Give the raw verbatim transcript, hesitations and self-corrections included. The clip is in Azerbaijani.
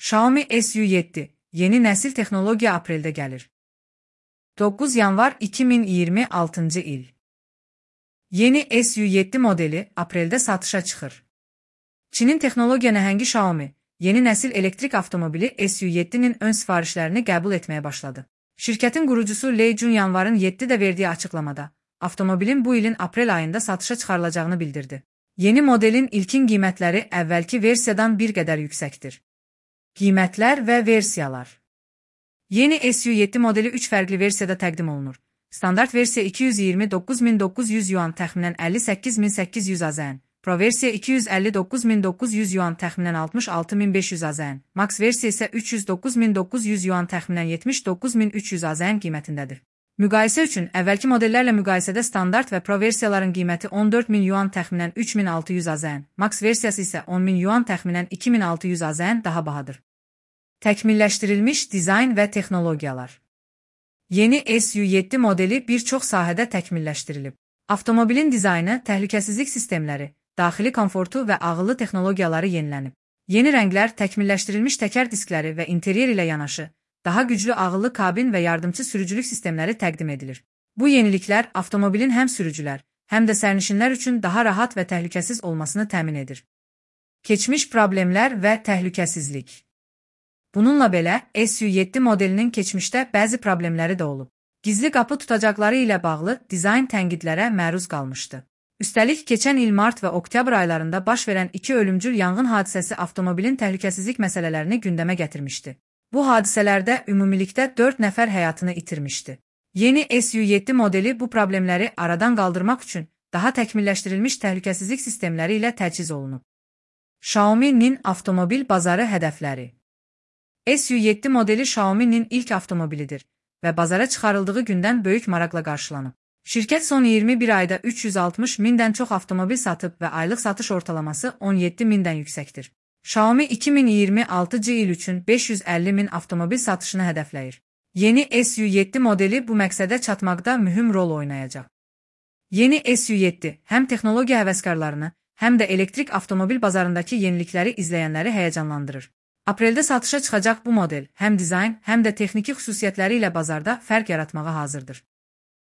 Xiaomi S U yeddi yeni nəsil texnologiya apreldə gəlir. doqquz yanvar iki min iyirmi altıncı il. Yeni S U yeddi modeli apreldə satışa çıxır. Çinin texnologiya nəhəngi Xiaomi, yeni nəsil elektrik avtomobili S U yeddinin ön sifarişlərini qəbul etməyə başladı. Şirkətin qurucusu Lei Jun yanvarın yeddidə verdiyi açıqlamada, avtomobilin bu ilin aprel ayında satışa çıxarılacağını bildirdi. Yeni modelin ilkin qiymətləri əvvəlki versiyadan bir qədər yüksəkdir. Qiymətlər və versiyalar. Yeni S U yeddi modeli üç fərqli versiyada təqdim olunur. Standart versiya iki yüz iyirmi doqquz min doqquz yüz yuan təxminən əlli səkkiz min səkkiz yüz AZN, Pro versiya iki yüz əlli doqquz min doqquz yüz yuan təxminən altmış altı min beş yüz AZN, Max versiya isə üç yüz doqquz min doqquz yüz yuan təxminən yetmiş doqquz min üç yüz AZN qiymətindədir. Müqayisə üçün əvvəlki modellərlə müqayisədə standart və Pro versiyaların qiyməti on dörd min yuan təxminən üç min altı yüz AZN, Max versiyası isə on min yuan təxminən iki min altı yüz AZN daha bahadır. Təkmilləşdirilmiş dizayn və texnologiyalar. Yeni S U yeddi modeli bir çox sahədə təkmilləşdirilib. Avtomobilin dizaynı, təhlükəsizlik sistemləri, daxili komfortu və ağıllı texnologiyaları yenilənib. Yeni rənglər, təkmilləşdirilmiş təkər diskləri və interyer ilə yanaşı, daha güclü ağıllı kabin və yardımçı sürücülük sistemləri təqdim edilir. Bu yeniliklər avtomobilin həm sürücülər, həm də sərnişinlər üçün daha rahat və təhlükəsiz olmasını təmin edir. Keçmiş problemlər və təhlükəsizlik. Bununla belə, S U yeddi modelinin keçmişdə bəzi problemləri də olub. Gizli qapı tutacaqları ilə bağlı dizayn tənqidlərə məruz qalmışdı. Üstəlik, keçən il mart və oktyabr aylarında baş verən iki ölümcül yanğın hadisəsi avtomobilin təhlükəsizlik məsələlərini gündəmə gətirmişdi. Bu hadisələrdə ümumilikdə dörd nəfər həyatını itirmişdi. Yeni S U yeddi modeli bu problemləri aradan qaldırmaq üçün daha təkmilləşdirilmiş təhlükəsizlik sistemləri ilə təchiz olunub. Xiaomi'nin avtomobil bazarı hədəfləri. S U yeddi modeli Xiaomi'nin ilk avtomobilidir və bazara çıxarıldığı gündən böyük maraqla qarşılanıb. Şirkət son iyirmi bir ayda üç yüz altmış mindən çox avtomobil satıb və aylıq satış ortalaması on yeddi mindən yüksəkdir. Xiaomi iki min iyirmi altıncı il üçün beş yüz əlli min avtomobil satışını hədəfləyir. Yeni S U yeddi modeli bu məqsədə çatmaqda mühüm rol oynayacaq. Yeni S U yeddi həm texnologiya həvəskarlarını, həm də elektrik avtomobil bazarındakı yenilikləri izləyənləri həyəcanlandırır. Apreldə satışa çıxacaq bu model həm dizayn, həm də texniki xüsusiyyətləri ilə bazarda fərq yaratmağa hazırdır.